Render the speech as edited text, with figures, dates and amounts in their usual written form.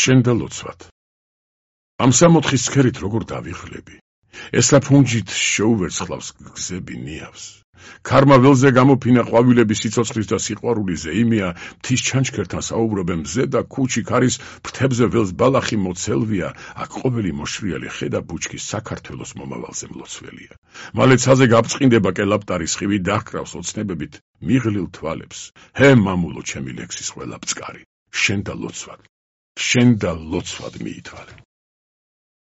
შენ და ლოცვად. ამ სამოთხის ცქერით როგორ დავიღლები? ესა ფუნჯით შეუვერცხლავს გზები ნიავს. ქარმა ველზე გამოფინა ყვავილების სიცოცხლის და სიყვარულის ზეიმია, მთის ჩანჩქერთან საუბრობენ მზე და ქუჩი ქარის ფრთებზე ველს ბალახი მოცელვია, აქ ყოველი მოშრიალი ხედა ბუჩქის საქართველოს მომავალზე მლოცველია. მალე ცაზე გაბწყინდება კელაპტარის ხივი დაჰკრავს ოცნებებით მიღლილ თვალებს. ჰე მამულო ჩემი ლექსის ყველა ბწყარი, შენ და ლოცვად მიითვალე.